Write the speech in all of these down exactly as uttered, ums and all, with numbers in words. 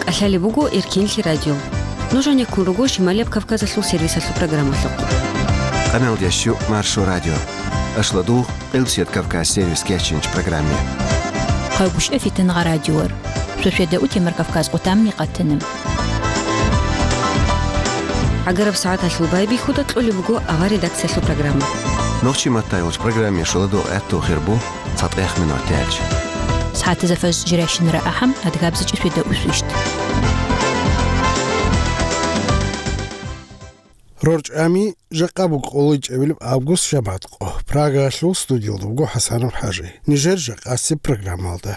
Алъалеб буго Эркенлъи радио. Нуж гьанеккун руго Шималияб Кавказалъул сервисалъул программалъухъ. Къаналдящу Маршо радио. Ашладугъ, Къилбсият Кавказ сервис кечинч программе. Къайгушев Фитангъа радиор. Суседа утемар Кавказ къутамни къатанам. ГӀагараб сагӀаталъул байбихьуда кьолеб буго авар редакциялъул программа. Нохчи матайолч программе шоладо гӀатту хирбу. ЦатӀех минуталъ. СагӀатазда фажр жирайщинара ахӀам, адгабзичӀи светда усвищт. РорчӀами, жакъа буго къоло ичӀабилеб август, жамагӀат къо. Прагаялъул студиялда буго ХӀасанов ХӀажи. Нижер жакъасеб программалда.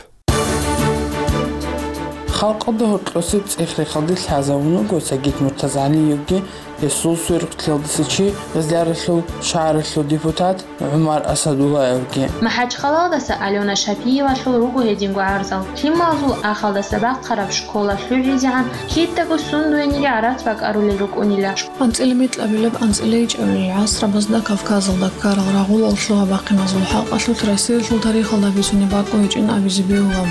Халкъалда гьоркьосеб цӀех-рехалде лъазавун вуго Сагид Муртазгьалиевги, гьесул сверухълъиялдаса чи, Гъезляралъул шагьаралъул депутат ГӀумар Асадуллаевги. МахӀачхъалаялдаса Алёна Шапиевалъул руго гьединго гӀарзал. Лъималазул ахалдаса бахъараб школа лъугӀизегӀан кидаго сундуениги гӀарац бакӀарулел рукӀунила. АнцӀила микьабилеб, анцӀила ичӀабилел гӀасрабазда Кавказалда ккарал рагъулал лъугьа-бахъиназул хӀакъалъулъ Россиялъул тарихалда бицунеб бакӀу гьечӀин абизе бегьула.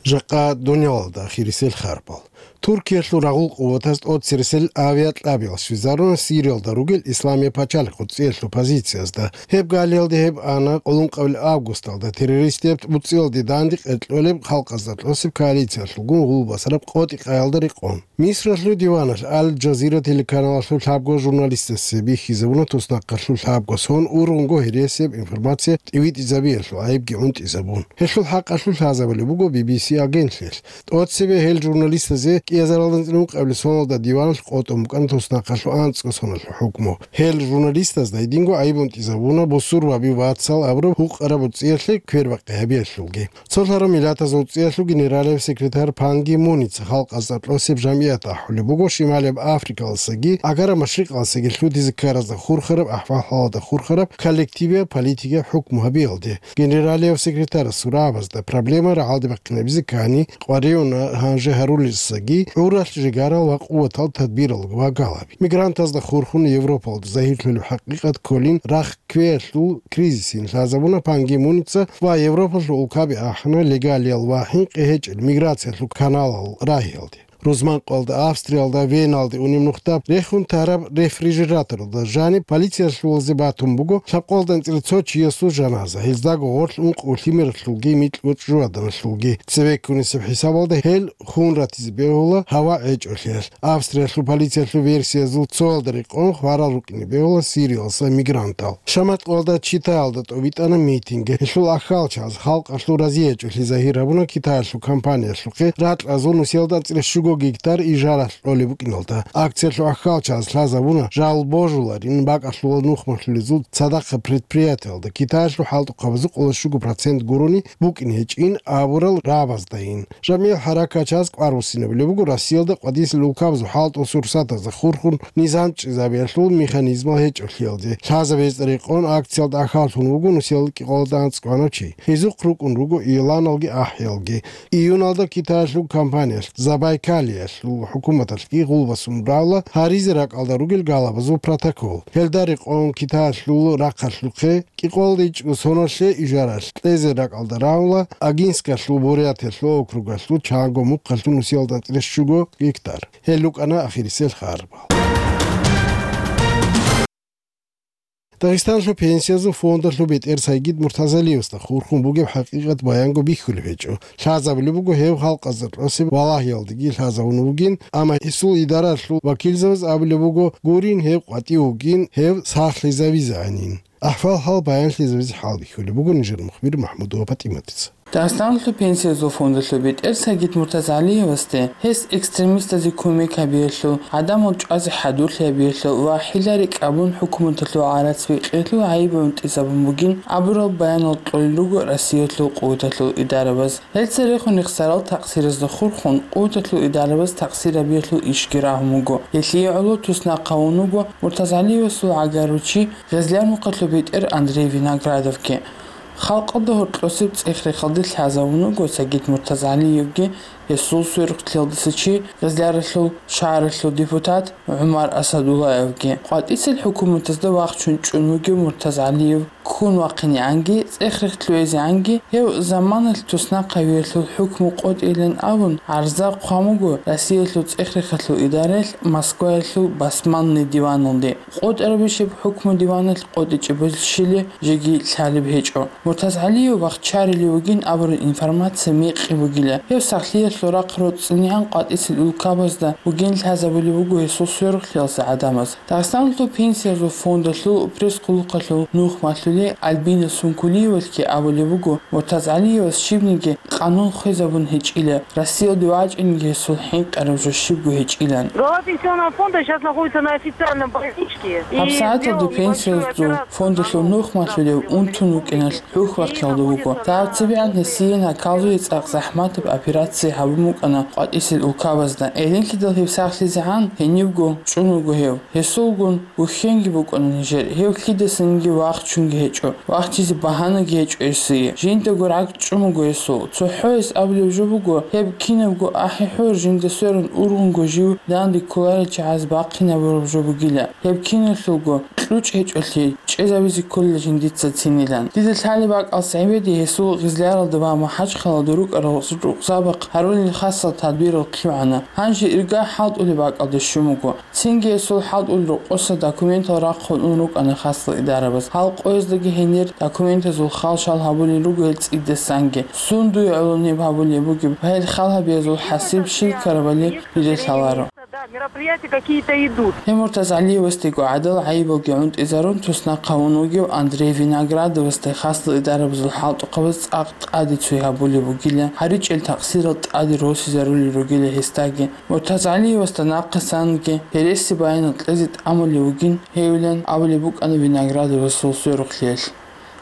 Жакъа дунялалда ахирисел харбал. Туркиялъул рагъул къуватаз тӀоцересел авиакьабиял щвезаруна Сириялда ругел Исламияб пачалихъ уцӀиялъул позициязда. Гьеб галиялде гьеб ана къулункъабил августалда террористияб уцӀиялде данде къеркьолеб халкъазда кьосеб коалициялъулгун гъулбасараб къотӀи-къаялда рекъон. Мисралъул диваналъ Аль-Джазира телеканалалъул лъабго журналистасе бихьизабуна туснахъалъул лъабго сон ургъунго гьересияб информация тӀивитӀизабиялъул гӀайибги гӀунтӀизабун. Гьелъул хӀакъалъулъ лъазабулеб буго Би Би Си агентлъиялъ. ТӀоцебе гьел журналистазе кӀиазаралда анцӀила ункъабилеб соналда диваналъ къотӀун букӀана туснахъалъул анцӀго соналъул хӀукму. Гьел журналистазда гьединго гӀайиб гьунтӀизабуна бусурбаби вацал абураб гьукъараб уцӀиялъе квербакъи гьабиялъулги. Цолъараб Миллатазул УцӀиялъул генералияб секретарь Пан Ги Муница халкъазда кьосеб жамгӀият ахӀулеб буго Шималияб Африкалдасаги ГӀагараб Машрикъалдасаги лъутизе ккаразда хурхараб ахӀвал-хӀалалда хурхараб коллективияб политикияб хӀукму гьабиялде. Генералияб секретарасул рагӀабазда проблема рагӀалде бахъинабизе ккани къваригӀуна гьанже гьарулесаги гӀуралъ жигарал ва къуватал тадбирал ва галаби. Мигрантазда хурхун Европалда загьирлъулеб хӀакъикъат кколин рахъ кквеялъул кризисин лъазабуна Пан Ги Муница ва Европалъул улкаби ахӀана легалиял ва хӀинкъи гьечӀел миграциялъул каналал рагьиялде. Рузманкъоялда, Австриялда, Веналде унеб нухда рехун тараб рефрижераторалда жаниб полициялъулазе батун буго лъабкъоялда анцӀила цо чиясул жаназа, гьездаго гъорлъ ункъо лъимералъулги микьго чӀужугӀаданалъулги. Цеве ккунесеб хӀисабалда гьел хун ратизе бегьула гьава гьечӀолъиялъ. Австриялъул полициялъул версиязул цоялда рекъон хварал рукӀине бегьула Сириялдаса мигрантал. Шаматкъоялда Читаялда тӀобитӀана митинг. Гьелъул ахьалчаз халкъалъул разиячӀолъи загьир гьабуна Китаялъул компаниялъухъе ракьазул нусиялда анцӀила щуго гектар ижаралъ кьолеб букӀиналда. Акциялъул ахьалчаз лъазабуна жал божуларин бакӀалъула нухмалъулезул цадахъа предприятиялда Китаялъул хӀалтӀухъабазул къоло щуго процент гурони букӀин гьечӀин абурал рагӀабаздайин. ЖамгӀил хӀаракатчаз кӀвар буссинабулеб буго Россиялда къватӀисел улкабазул хӀалтӀул сурсатазда хурхун низам чӀезабиялъул механизмал гьечӀолъиялде. Лъазабизе рекъон акциялда ахьаллъун вуго нусиялда кӀикъоялда анцӀгоанав чи. Гьезухъ рукӀун руго иоланалги ахӀиялги. Июналда Китаялъул компаниялъ Забайкалиялъул хӀукуматалъги гъулбасун рагӀула гьаризе ракӀалда ругел галабазул протокол. Гьелда рекъон Китаялъул рахъалъухъе кӀикъоялда ичӀго соналъе ижаралъ кьезе ракӀалда рагӀула Агинскалъул Бурятиялъул округалъул чанго мухъалъул нусиялда анцӀила щуго гектар. Гьел рукӀана ахирисел харбал. Дагъистаналъул пенсиязул фондалъул бетӀер Сагид Муртазалиевасда хурхун бугеб хӀакъикъат баянго бихьулеб гьечӀо. Лъазабулеб буго гьев халкъазда кьосеб валагьиялдеги лъазавун вугин, амма гьесул идаралъул вакилзабаз абулеб буго гурин гьев къватӀив вугин, гьев сахлъизавизегӀанин. АхӀвал-хӀал баянлъизабизе хӀалбихьулеб буго нижер мухбир МахӀмудова ПатӀиматица. Дагъистаналъул пенсиязул фондалъул бетӀер Сагид Муртазгьалиевасде, гьес экстремистазе кумек гьабиялъул, гӀадамал чӀвазе хӀадурлъи гьабиялъул ва хӀилари кьабун хӀукуматалъул гӀарац бекьиялъул гӀайиб гӀунтӀизабун бугин абурал баянал кьолел руго Россиялъул къуваталъул идарабаз. Гьел церехун рехсарал такъсиразда хурхун, къуваталъул идарабаз такъсир гьабиялъул ишги рагьун вуго. Гьелъие гӀоло туснахъ гьавун вуго Муртазгьалиевасул гӀагарав чи Гъезлярмухъалъул бетӀер Андрей Виноградовги. Халкъалда гьоркьосеб цӀех-рехалде лъазавун вуго Сагид Муртазгьалиевги, гьесул сверухълъиялдаса чи, Гъезляралъул шагьаралъул депутат ГӀумар Асадуллаевги. КъватӀисел хӀукуматазда вахчун чӀун вугев Муртазгьалиев ккун вахъинегӀанги, цӀех-рех лъугӀизегӀанги, гьев заманалъ туснахъавиялъул хӀукму къотӀилан абун, гӀарза хъван буго Россиялъул цӀех-рехалъул идараялъ Москваялъул басманный диваналде. КъотӀарабищеб хӀукму диваналъ къотӀичӀеб щиб жеги лъалеб гьечӀо. МуртазгӀалиев вахчарулев вугин абураб информация мекъи бугила. Гьев сахлъиялъул рахъ роцӀцӀинегӀан къватӀисел улкабазда бугин лъазабулеб буго гьесул сверухълъиялъул гӀадамаз. Дагъистаналъул пенсиязул фондалъул пресс-хъулухъалъул нух малъулев Альбина Сункулиевалъги абулеб буго, МуртазгӀалиевас щибниги къанун хвезабун гьечӀила, Россиялде вачӀинеги гьесул хӀинкъараб жо щибго гьечӀилан. Глава пенсионного фонда сейчас находится на официальном больничке. ГьабсагӀаталда пенсиязул фондалъул нух малъулев унтун вукӀиналъ хӀухьбахъиялда вуго. Дагьаб цебегӀан гьесие наказуе цӀакъ захӀматаб операция гьабун букӀана къватӀисел улкабазда. Гьединлъидал гьев сахлъизегӀан гьенибго чӀун вуго гьев. Гьесулгун вухьенги букӀана нижер, гьев лъидасанги вахчунги гьечӀо, вахчизе багьанаги гьечӀо гьесие. Жиндаго ракӀ чӀун буго гьесул. ЦохӀо гьес абулеб жо буго, гьеб кинабго ахӀи-хӀур жинда сверун ургъунго жив данде кколарел чагӀаз бахъинабураб жо бугила. Гьеб киналъулго кьучӀ гьечӀолъи, чӀезабизе кколила жиндица цинилан. Дида лъалеб бакӀалъ гӀебеде гьесул Гъизляралда ва МахӀачхъалалда рукӀарал рукъзабахъ гьарулел хасал тадбирал хъивгӀана. Гьанже ирга хӀалтӀулеб бакӀалде щун буго. Цинги гьесул хӀалтӀулел рокъоса документал рахъун ун рукӀана хасал идарабаз. Гьал къояздаги гьенир документазул хал-шал гьабулел руго гьел цӀидасанги. Сун дуе гӀоло гьеб гьабулеб бугеб ва гьел хал гьабиязул хӀасил щиб ккарабали дида лъаларо. Да, мероприятия какие-то идут. Гьев МуртазгӀалиевасдего гӀадал гӀайибалги гӀунтӀизарун туснахъ гьавун вугев Андрей Виноградовасда хасал идарабазул хӀалтӀухъабаз цӀакъ тӀаде цой гьабулеб бугила, гьаричӀел такъсирал тӀаде росизарулел ругила гьесдаги. МуртазгӀалиевасда нахъисанги гьереси баянал кьезе тӀамулев вугин гьевилан абулеб букӀана Виноградовасул сверухълъиялъ.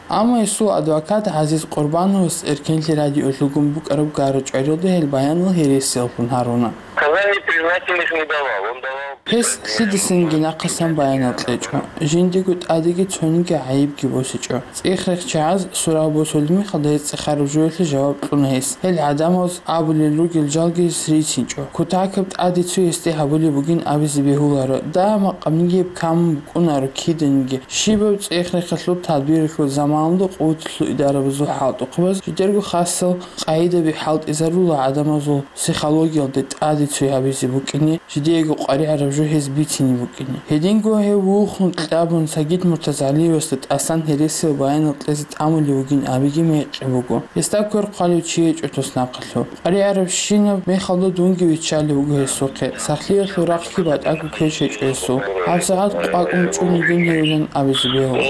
Амма гьесул адвокат ГӀазиз Къурбановас Эркенлъи радиолъулгун букӀараб гара-чӀваралда гьел баянал гьересияллъун гьаруна. Сказаний признательных не давал, он давал. Гьес лъидасанги нахъасан баянал кьечӀо, жиндиего тӀадеги цониги гӀайибги босичӀо. ЦӀех-рехчагӀаз сурал босулеб мехалда гьез цӀехараб жоялъе жаваб кьуна гьес. Гьел гӀадамаз абулел ругел жалги гьес рицинчӀо. Кутакаб тӀаде цо гьесде гьабулеб бугин абизе бегьуларо. Дагьаб макъабниги гьеб камун букӀунаро киданиги. Щибаб цӀех-рехалъул тадбиралъул заманалда къуваталъул идарабазул хӀалтӀухъабаз жидерго хасал къагӀидаби хӀалтӀизарула гӀадамазул психологиялде тӀаде цой гьабизе букӀине, жидеего къваригӀараб жо гьез бицине букӀине. Гьединго гьев вухун кьабун Сагид МуртазгӀалиевасда тӀасан гьересиял баянал кьезе тӀамулев вугин абиги мекъи буго. Гьесда квер хъвалев чи гьечӀо туснахъалъув. КъваригӀарабщинаб мехалда дунги виччалев вуго гьесухъе. Сахлъиялъул рахъги батӀаго квеш гьечӀо гьесул. ГьабсагӀат къвакӀун чӀун йигин гьевилан абизе бегьула.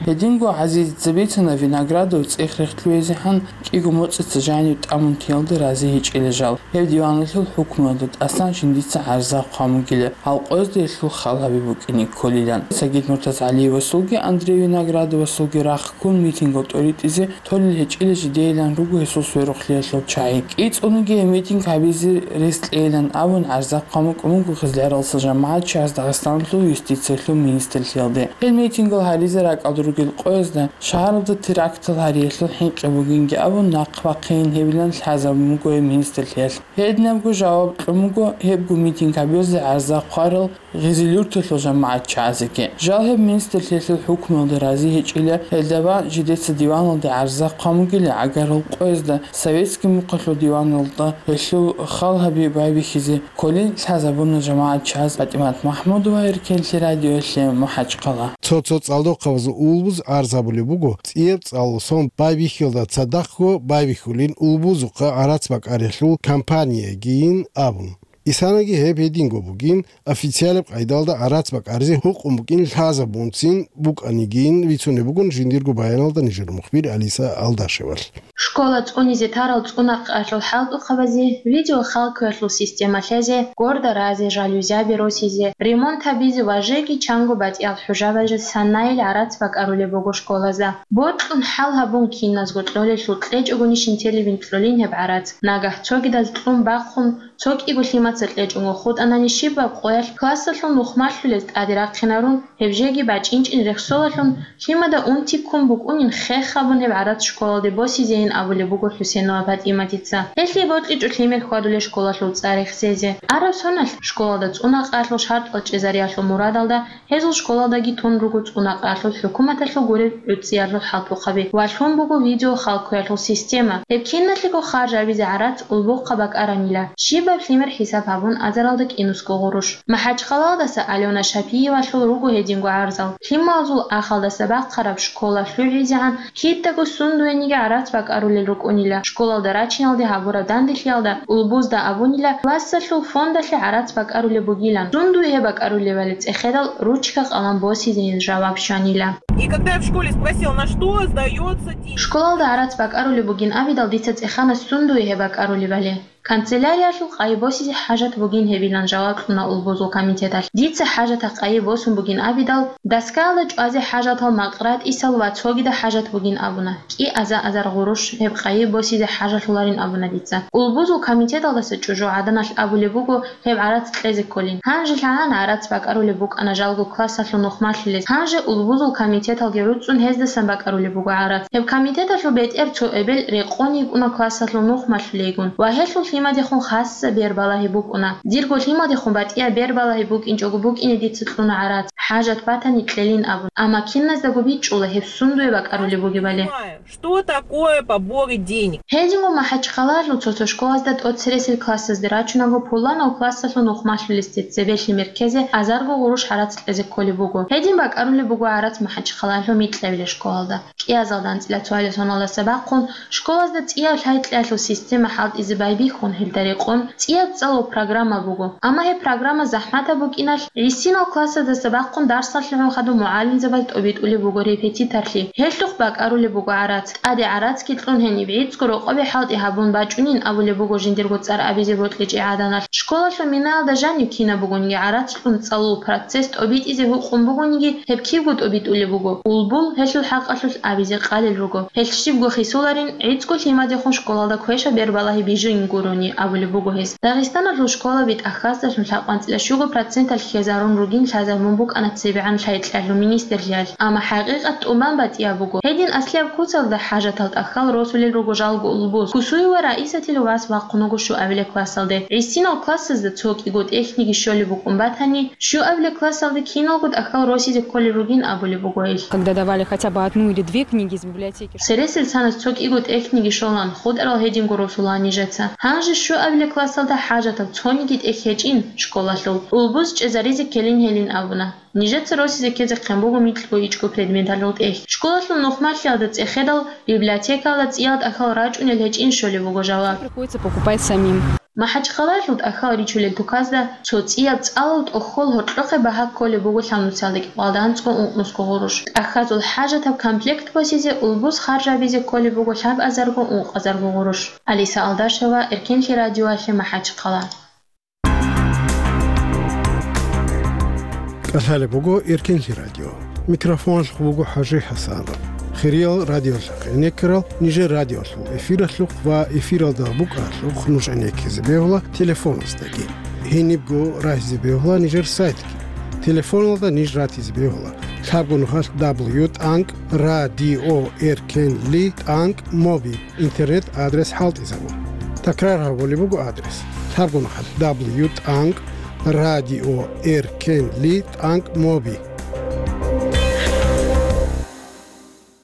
Гьединго ГӀазизица бицана Виноградов цӀех-рех лъугӀизегӀан кӀиго моцӀица жанив тӀамун тиялда рази гьечӀила жал. Гьев диваналъул хӀукмуялда тӀасан жиндица гӀарза хъван бугила, гьал къоязда гьелъул хал гьаби букӀине кколилан. Сагид МуртазгӀалиевасулги Андрей Виноградовасулги рахъ ккун митингал тӀоритӀизе толел гьечӀила жидейилан руго гьесул сверухълъиялъул чагӀи. КӀицӀуниги гьеб митинг гьабизе рес кьейилан абун гӀарза хъван букӀун буго Гъизляралдаса жамагӀатчияс Дагъистаналъул юстициялъул министрлъиялде. Гьел митингал гьаризе ракӀалда ругел къоязда шагьаралда терактал гьариялъул хӀинкъи бугинги абун нахъ бахъейин гьебилан лъазабун буго гьеб министрлъиялъ. Гьединабго жаваб кьун буго гьебго митинг гьабиялъе гӀарза хъварал Гъизилюрталъул жамагӀатчагӀазеги. Жал гьеб министрлъиялъул хӀукмуялда рази гьечӀила, гьелда бан жидеца диваналде гӀарза хъван бугила гӀагарал къоязда советский мухъалъул диваналда гьелъул хал гьаби байбихьизе кколин лъазабуна жамагӀатчагӀаз. ПатӀимат МахӀмудова, Эркенлъи радиоялъе, МахӀачхъала. Цо-цо цӀалдохъабазул улбуз арз гьабулеб буго, цӀияб цӀалул сон байбихьиялда цадахъго байбихьулин улбузухъа гӀарац бакӀариялъул кампаниягийин абун. Исанаги гьеб гьединго бугин, официалаб къайдалда гӀарац бакӀаризе гьукъун букӀин лъазабунцин букӀанигин бицунеб бугун жиндирго баяналда нижер мухбир Алиса Алдашевалъ. Школа цӀунизе тарал цӀунахъалъул хӀалтӀухъабазе, видеохалкуялъул система лъезе, гордо разе, жалюзяби росизе, ремонт гьабизе ва жеги чанго батӀиял хӀужабазе санайил гӀарац бакӀарулеб буго школазда. Бокьун хӀал гьабун киназго кьолелъул кьечӀогони щинтелебин кьолин гьеб гӀарац. Нагагь цогидаз кьун бахъун, цо кӀиго лъимат Класса кьечӀого хутӀанани щибаб къоялъ классалъул нухмалъулел тӀаде рахъинарун, гьеб жеги бачӀинчӀин рехсолалъун, лъимада унти ккун букӀунин хех гьабун гьеб гӀарац школалде босизейин абулеб буго ХӀусенова ПатӀиматица. Гьелъие бокьичӀо лъимер хьвадулел школалъул цӀар рехсезе. Араб соналъ школалда цӀунакъалъул шартӀал чӀезариялъул мурадалда гьезул школалдаги тун руго цӀунакъалъул хӀукуматалъул гуреб гӀуцӀиялъул хӀалтӀухъаби ва лъун буго видеохалкуялъул система. Гьеб киналъего харж гьабизе гӀарац улбухъа бакӀаранила, щибаб лъимер хӀисаб гьабун азаралда кӀинусго гъурущ. МахӀачхъалаялдаса Алёна Шапиевалъул руго гьединго гӀарзал. Лъималазул ахалдаса бахъараб школа лъугӀизегӀан кидаго сундуениги гӀарац бакӀарулел рукӀунила, школалда рачиналде гьабураб данделъиялда улбузда абунила, классалъул фондалъе гӀарац бакӀарулеб бугилан. Сундуе гьеб бакӀарулебали цӀехедал ручка-къалам босизейин жаваб щванила. И когда я в школе спросила, на что сдается деньги? Школалда гӀарац бакӀарулеб бугин абидал, дица цӀехана сундуе гьеб бакӀарулебали. Канцеляриялъул къайи босизе хӀажат бугин гьебилан жаваб кьуна улбузул комитеталъ. Дица хӀажатах къайи босун бугин абидал, доскаялда чӀвазе хӀажатал, макъ ратӀисал ва цогидал хӀажат бугин абуна. КӀиаза азар гъурущ гьеб къайи босизе хӀажалъуларин абуна дица. Улбузул комитеталдаса чӀужугӀаданалъ абулеб буго гьеб гӀарац кьезе кколин. Гьанже лъагӀана гӀарац бакӀарулеб букӀана жалго классалъул нухмалъулез. Гьанже улбузул комитеталги гӀуцӀун гьездасан бакӀарулеб буго гӀарац. Гьеб комитеталъул бетӀер цо эбел рекъон йикӀуна классалъул нухмалъулейгун ва гьелъул лъимадехун хасса бер балагьи букӀуна. Дирго лъимадехун батӀияб бер балагьи букӀинчӀого букӀине дица кьуна гӀарац, хӀажат батани кьелин абун. Амма киназдаго бичӀчӀула гьеб сундуе бакӀарулеб бугебали. Что такое поборы денег? Гьединго МахӀачхъалаялъул цо-цо школазда тӀоцересел классазде рачунаго пуланав классалъул нухмалъулесде цебе лъимер ккезе азарго гъурущ гӀарац кьезе кколеб буго. Гьедин бакӀарулеб буго гӀарац МахӀачхъалаялъул микьабилеб школалда. КӀиазалда анцӀила цоялил соналдаса бахъун, школазда цӀияб лъай-кьеялъул система хӀалтӀизе байбихьун, гьелда рекъон цӀияб цӀалул программа буго. Амма гьеб программа захӀматаб букӀиналъ, гӀисинал классаздаса бахъун дарсалъугӀун хадуб мугӀалимзабаз тӀобитӀулеб буго репетиторлъи. Гьелъухъ бакӀарулеб буго гӀарац. ТӀаде гӀарацги кьун гьениб гӀицӀго рокъобе хӀалтӀи гьабун бачӀунин абулеб буго жиндирго цӀар абизе бокьичӀеб гӀаданалъ. Школалъул минаялда жанив кинаб бугониги гӀарац кьун цӀалул процесс тӀобитӀизе гьукъун бугониги, гьеб кибго тӀобитӀулеб буго. Улбул гьелъул хӀакъалъулъ абизе къалел руго. Гьелъ щибго хисуларин, гӀицӀго лъимадехун школалда квешаб бер балагьи бижун гурони абулеб буго гьес. Дагъистаналъул школаби тӀахьаздалъун лъабкъанцӀила щуго проценталъ хьезарун ругин лъазабун букӀана цебегӀан лъай-кьеялъул министрлъиялъ, амма хӀакъикъат тӀубан батӀияб буго. Гьедин аслияб куцалда хӀажатал тӀахьал росулел руго жалго улбуз. Кусуева Раисатил вас вахъун вуго щуабилеб классалде. ГӀисинал классазда цо кӀиго тӀехьниги щолеб букӀун батани, щуабилеб классалде киналго тӀахьал росизе кколел ругин абулеб буго гьелъ. Когда давали хотя бы одну или две книги из библиотеки. Цересел цанас цо кӀиго тӀехьниги щолан, хутӀарал гьединго росулаан нижеца. Гьанже щуабилеб классалда хӀажатаб цониги тӀехь гьечӀин школалъул. Улбуз чӀезаризе ккелин гьелин абуна. Нижеца росизе ккезехъин буго микьго-ичӀго предметалъул тӀехь. Школалъул нухмалъиялда цӀехедал, библиотекаялда цӀиял тӀахьал рачӀунел гьечӀин щолеб буго жаваб. Приходится покупать самим. МахӀачхъалаялъул тӀахьал ричулел туказда цо цӀияб цӀалул тӀохьол гьоркьохъе багьа кколеб буго лъабнуцалда кӀикъоялда анцӀго ункънусго гъурущ. ТӀахьазул хӀажатаб комплект босизе улбуз харжабизе кколеб буго лъабазарго ункъазарго гъурущ. Алиса Алдашева, Эркенлъи радиоялъе, МахӀачхъала. КӀалъалеб буго Эркенлъи радио. Микрофоналъухъ буго ХӀажи ХӀасанов. Хириял радиолъухъ гӀенеккарал, нижер радиолъул эфиралъухъ ва эфиралда букӀаралъухъ нуж гӀенеккизе бегьула телефоназдаги. Гьенибго рагьизе бегьула нижер сайтги. Телефоналда ниж ратизе бегьула: лъабго нухалъ дабл ю тӀанкӀ радио эркенли тӀанкӀ моби. Интернет-адрес хӀалтӀизабун. Такрар гьабулеб буго адрес: лъабго нухалъ дабл ю тӀанкӀ радио эркенли тӀанкӀ моби.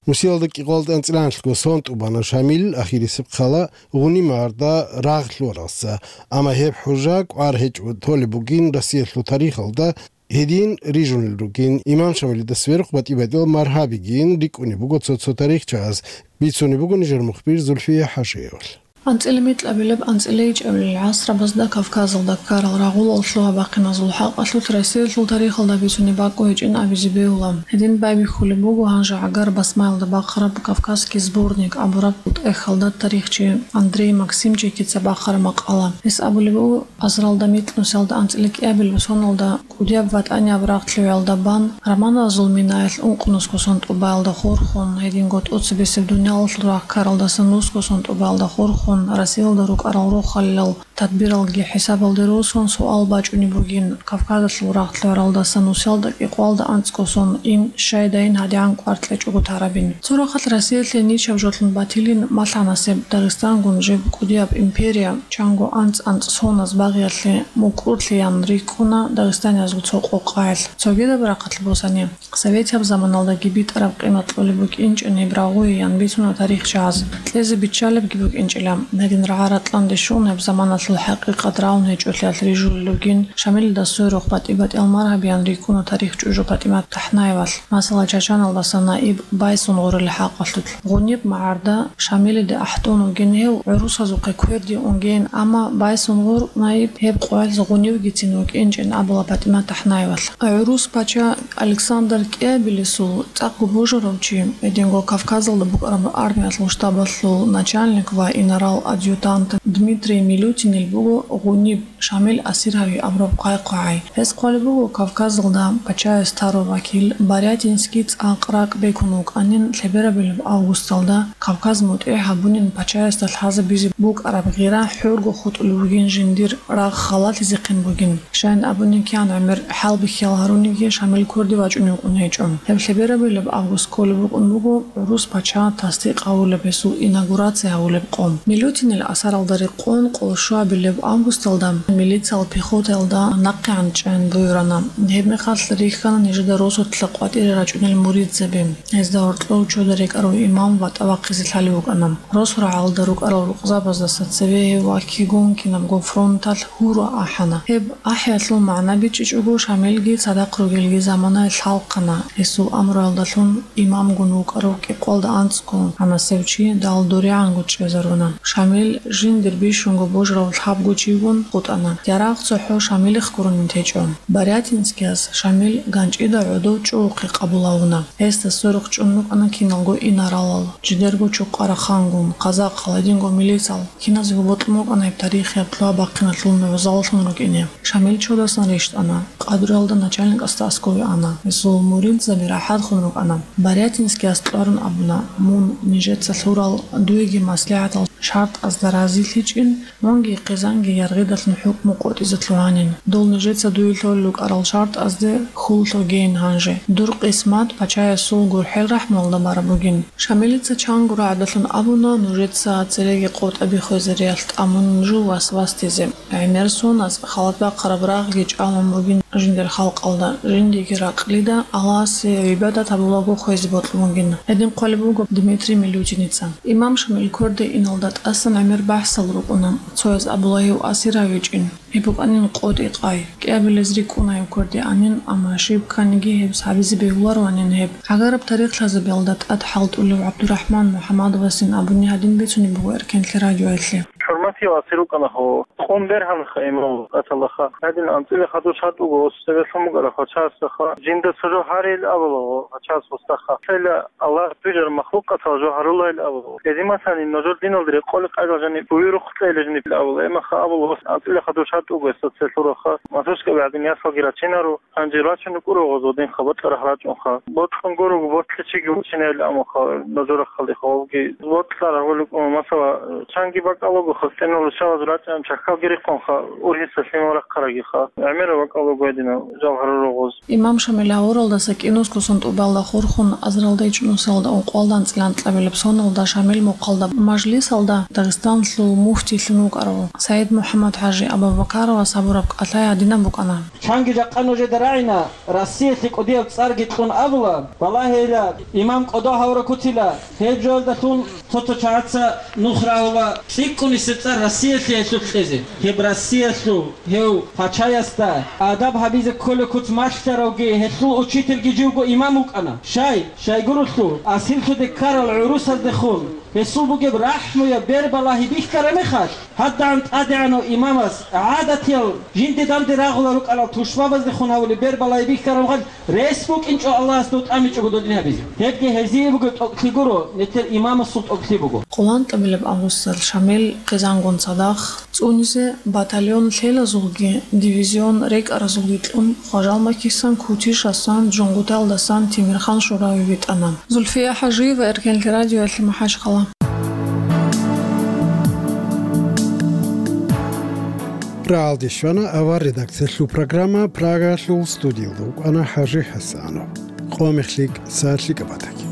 Мусиялда кӀикъоялда анцӀила анлъго сон тӀубана Шамил ахирисеб хъала Гъунимарда рагъ лъугьаралса, амма гьеб хӀужа кӀвар гьечӀо толеб бугин Россиялъул тарихалда. Гьедин рижунел ругин имам Шамилида сверухъ батӀи-батӀиял маргьабигин рикӀкӀунеб буго цо-цо тарихчияз, бицунеб буго нижер мухбир Зульфия ХӀажиевалъ. АнцӀила микьабилеб, анцӀила ичӀабилел гӀасрабазда Кавказалда ккарал рагъулал лъугьа-бахъиназул хӀакъалъулъ Россиялъул тарихалда бицунеб бакӀ гьечӀин абизе бегьула. Гьедин байбихьулеб буго гьанже гӀагар басмаялда бахъараб «Кавказский сборник» абураб тӀехьалда тарихчи Андрей Максимчикица бахъараб макъала. Гьес абулеб буго, азаралда микьнусиялда анцӀила кӀиабилеб соналда кӀудияб ВатӀанияб рагъ лъугӀиялда бан, романазул минаялъ ункънусго сон тӀубаялда хурхун, гьединго тӀоцебесеб дуниялалъул рагъ ккаралдаса нусго сон тӀубаялда хурхун, Россиялда рукӀарал рохалилал Тадбиралги хӀисабалде росун суал бачӀунеб бугин, Кавказалъул рагъ лъугӀаралдаса нусиялда кӀикъоялда анцӀго сон ин щайдайин гьадигӀан кӀвар кьечӀого тарабин. Цо рахъалъ Россиялъе ничаб жолъун батилин малъа-насиб Дагъистангун жиб кӀудияб империя, чанго анцӀ-анцӀ соназ багъиялъе мукӀурлъи ян рикӀкӀуна дагъистаниязул цо къокъаялъ. Цогидаб рахъалъ босани, советияб заманалдаги битӀараб къимат кьолеб букӀинчӀин гьеб рагъуе ян бицуна тарихчияз. Кьезе биччалебги букӀинчӀила, гьедин рагӀа-ратӀланде щун гьеб заманалъул хӀакъикъат рагӀун гьечӀолъиялъ рижулел ругин, Шамилида сверухъ батӀи-батӀиял маргьаби ян рикӀкӀуна тарихчӀужу ПатӀимат ТахӀнаевалъ, масала, Чачаналдаса наиб Байсунгъурил хӀакъалъулъ. Гъуниб магӀарда Шамилиде ахӀдон вугин гьев, гӀурусазухъе кверде унгейин, амма Байсунгъур наиб гьеб къоялъ гъунивгицин вукӀинчӀин абула ПатӀимат ТахӀнаевалъ. ГӀурус пача Александр кӀиабилесул цӀакъго божарав чи, гьединго Кавказалда букӀараб армиялъул штабалъул начальник ва инарал-адъютант Дмитрий Милютинил буго гъуниб Шамил асир гьави абураб хъвай-хъвагӀай. Гьес хъвалеб буго, Кавказалда пачаяс тарав вакил Барятинский цӀакъ ракӀ бекун вукӀанин, лъеберабилеб августалда Кавказ мутӀигӀ гьабунин пачаясда лъазабизе букӀараб гъира хӀорго хутӀулеб бугин, жиндир рагъ халалъизехъин бугин. Щайин абуни, кигӀан гӀемер хӀалбихьиял гьаруниги, Шамил кверде вачӀунев вукӀун гьечӀо. Гьеб лъеберабилеб август кколеб букӀун буго гӀурус пача тасдикъ гьавулеб, гьесул инаугурация гьавулеб къо. Милютинил асаралда рекъон къолщуабилеб августалда милициял пехотаялда нахъегӀан чӀен буюрана. Гьебмехалъ рихьана нижеда росулъа къватӀире рачӀунел муридзаби, гьезда гьоркьов чода рекӀарав имам ватӀа вахъизе лъалев вукӀана. Росу рагӀалда рукӀарал рукъзабаздаса цеве гьев вакигун кинабго фронталъ гьура ахӀана. Гьеб ахӀиялъул магӀна бичӀчӀичӀого, Шамилги цадахъ ругелги заманае лъалхъана. Гьесул амруялдалъун имамгун вукӀарав кӀикъоялда анцӀго гьанасев чи далдуригӀанго чӀезаруна. Шамил жиндир бищунго божарав лъабго чигун хутӀана. Ярагъ цохӀо Шамилихъ гуронин течӀо. Барятинскияс Шамил ганчӀида гӀодов чӀугӀухъе къабул гьавуна. Гьесда сверухъ чӀун рукӀана киналго инаралал, жидерго чукъарахъангун, казахъал, гьединго милицал. Киназего бокьун букӀана гьеб тарихияб лъугьа-бахъиналъул мугӀзаллъун рукӀине. Шамил чодасан рещтӀана, къадруялда начальникасда аскӀове ана. Гьесул муридзаби рахӀатхун рукӀана. Барятинскияс кьварун абуна: «Мун нижеца лъурал дуеги маслигӀатал шартӀазда разилъичӀин, мунги хъизанги яргъидалъун хӀукму къотӀизе лъугьанин. Дол нижеца дуе лъолел рукӀарал шартӀазде хьул лъогейин гьанже. Дур къисмат пачаясул гурхӀел рахӀмуялда бараб бугин». Шамилица чанго рагӀдалъун абуна нужеца цереги къотӀаби хвезариялъ тӀамун жо васвасдизе. ГӀемер соназ халат бахъараб рагъги чӀалун бугин жиндир халкъалда, жиндиеги ракълида Аллагьасе гӀибадат гьабулаго хвезе бокьун бугин. Гьедин хъвалеб буго Дмитрий Милютиница. Имам Шамил кверде иналда тӀасан гӀемер бахӀсал рукӀуна. Цояз абула гьев асир гьавичӀин. Гьеб букӀанин къотӀи-къай. КӀиабилез рикӀкӀуна гьев кверде анин, амма щиб кканиги гьеб гьабизе бегьулароанин гьеб. Гьагараб тарихлъазабиялда тӀад хӀалтӀулев ГӀабдурахӀман МухӀаммадовасин абуни гьадин бицунеб буго Эркенлъи радиоялъе. ХӀурматияв асир рукӀана гьев. Къун бергьанха имам вукӀаталаха. Гьадин анцӀила хадур шартӀ буго, цебе лъун букӀараб пачасаха. Жинда цо жо гьарейил абула гьев пачас гьусдаха. Цела Аллагь бижар махлукъатал жо гьарулайил абула. Гьедин, масани, нужер диналда рекъолеб къайдал жаниб буюрухъ кьейилан жаниб абула. Эмаха абула, анцӀила хадур шартӀ буго гьесда цел лъураха. Масушка гӀадин ясалги рачинаро. Гьанже рачун рукӀуна гъоз гъодинха, бокьарахъ рачӀунха. Бокьун гурого, ботлъичиги вучинайилан амуха, нажорахъалиха гъовги. Бокьарахъ рукӀун, масала, чанги бакӀалаго, хъустӀинал руччабаз рачӀан чахьалги рихъунха, ургьиса лъимал рахъарагиха. ГӀемераб бакӀалаго гьединал жал гьаруру гъоз. Имам Шамил гьавуралдаса кӀинусго сон тӀубалда хурхун, азаралда ичӀнусалда ункъоялда анцӀила анкьабилеб соналда Шамил мухъалда мажлисалда Дагъистанлъул муфтийлъун вукӀарав СагӀид МухӀаммад-хӀажи Абубакаровас гьабураб кӀалъай гьадинаб букӀана. Чанги жакъа нужеда рагӀина, Россиялъе кӀудияб цӀарги кьун абула, балагьейила, имам кӀодо гьавуракуцила, гьеб жоялдалъун цо-цо чагӀаца нух рагьула цӀикӀкӀунисеб цӀар Россиялъе гьелъулъ кьезе. Гьеб Россиялъул гьев пачаясда адаб гьабизе кколеб куц малъаравги, гьелъул учительги живго имам вукӀана. Щай, щайгурелъул, асирлъуде ккарал гӀурусаздехун гьесул бугеб рахӀмуяб бер балагьи бихьараб мехалъ, гьадагӀан тӀадегӀанав имамас гӀадатиял жинде-данде рагъула рукӀарал тушбабаздехун гьавулеб бер балагьи бихьараб мехалъ, рес букӀинчӀо Аллагьас дов тӀамичӀого додин гьабизе. Гьебги гьезие бугеб тӀокӀлъи гуро, нилъер имамасул тӀокӀлъи буго. Къоланкьабилеб августалъ Шамил хъизангун цадахъ, цӀунизе батальон лъелазулги, дивизион рекӀаразулги кьун, Хважалмакисан Кутишасан, Жунгуталдасан Тимирхан Шурави витӀана. Зульфия ХӀажиева, Эркенлъи радиоялъе, МахӀачхъала. Рагьалде щвана авар редакциялъул программа, Прагаялъул студиялда вукӀана ХӀажи ХӀасанов. Къо мехлъи кӀса лъикӀаб батаги.